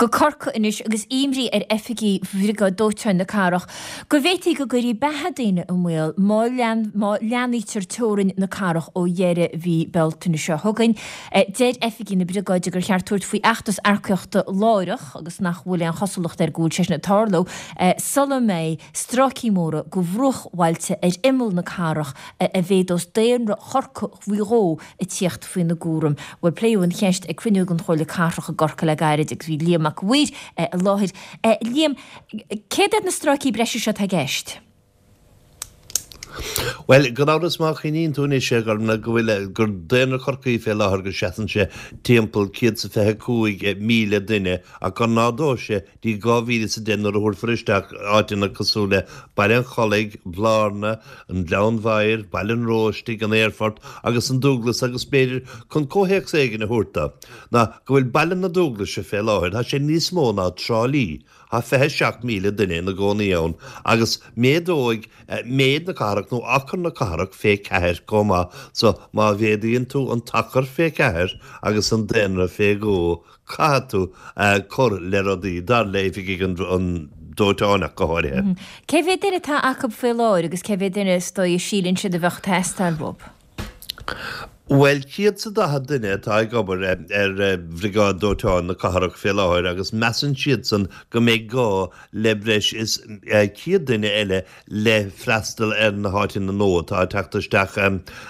Go Corcaigh anois agus imní ar oifigigh Bhriogáid Dóiteáin na Cathrach go bhféadfaí go gcuirfí beatha daoine i mbaol má má leathnaítear teorainn na cathrach ó dheireadh mhí Bealtaine seo chugainn. Deir oifigigh na briogáide gur cheart tabhairt faoi fheachtas earcaíochta láithreach agus nach bhfuil aon chosúlacht air go bhfuil sé sin ag tarlú sula mbeidh stráicí móra de bhruachbhailte ar imeall na cathrach a mhéadós daonra Chorcaí faoi dhó ag tíocht faoina gcúram. Bhuel, pléadh an cheist ag cruinniú den Chomhairle Cathrach i gCorcaigh le gairid agus bhí Liam Mac a' Mhaoir i láthair. Liam, céard iad na stráicí breise seo atá i gceist? Bhuel, gan amhras má chuimhníonn tú anois, a Ghormfhlaith, go bhfuil, gur daonra Chorcaí fé láthair go seasann sé timpeall 125,000 duine ach go n-ardóidh sé dtí 2010 nuair a thabharfar isteach áiteanna cosúil le Baile an Chollaigh, Blarna, an Gleann Bhodhair, Baile an Róistigh, an Aerfort agus an Dúglas agus b'fhéidir chun comhthéacs éigin a thabhairt dó, ná go bhfuil Baile na Dúglaise fé láthair, tá sé níos mó ná Trá Lí, tá 27,000 duine ina gcónaí ann agus méadóidh méid na cathrach nó achar na cathrach fé cheathair chomh maith so má mhéadaíonn tú an t-achar fé cheathair agus an daonra fé dhó, Caithfidh tú cur le rudaí, dar le oifigigh an dóiteáin ach go háirithe. Cé mhéad duine atá acu faoi láthair agus cé mhéad duine is dóigh a síleann siad a bheadh ag teastáil uathu? Bhuel, 140 duine atá ag obair ar Bhriogáid Dóiteáin na Cathrach fé láthair agus measann siadsan go mbeidh gá le breis is 100 duine eile le freastal ar na háiteanna nua atá ag teacht isteach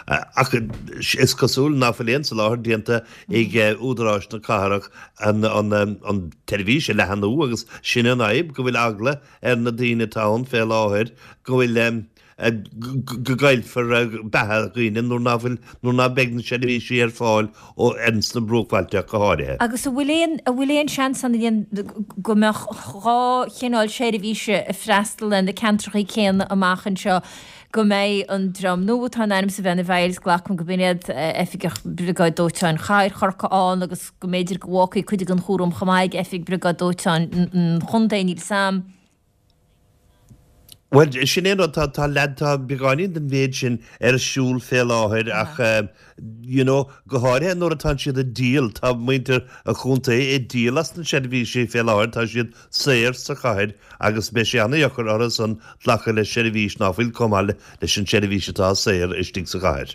ach is cosúil ná fuil aon soláthar déanta ag údaráis na cathrach an tseirbhís a leathnú agus sin an fhadhb, go bhfuil eagla ar na daoine atá ann fé láthair go bhfuil go gcaillfear beatha dhaoine nuair ná fuil, nuair ná beidh na seirbhísí ar fáil ó ins na bruachbhailte ach go háirithe. Agus an bhfuil aon, an bhfuil aon seans ann a go mbeadh dhá chineál seirbhíse ag freastal ar na ceantracha céanna amach anseo, go mbeidh an dream nua atá in ainm is a bheith ina bhfeighil, is glacaim go b'in iad Oifigeach Briogáid Dóiteáin Chathair Chorcaí ann agus go mb'fhéidir go bhfágfaí cuid den chúram chomh maith ag Oifig Briogáid Dóiteáin an Chontae, níl 'fhios a'm. Bhuel, sin é an rud, tá, tá leath, tá beagáinín den mhéid sin ar siúl fé láthair ach, you know, go háirithe nuair atánn siad ag díol, tá muintir an chontae ag díol as na seirbhísí fé láthair, tá siad saor sa chathair agus beidh sé ana-dheacair orthu san glacadh le seirbhís ná fuil chomh maith leis an seirbhís atá saor istigh sa chathair.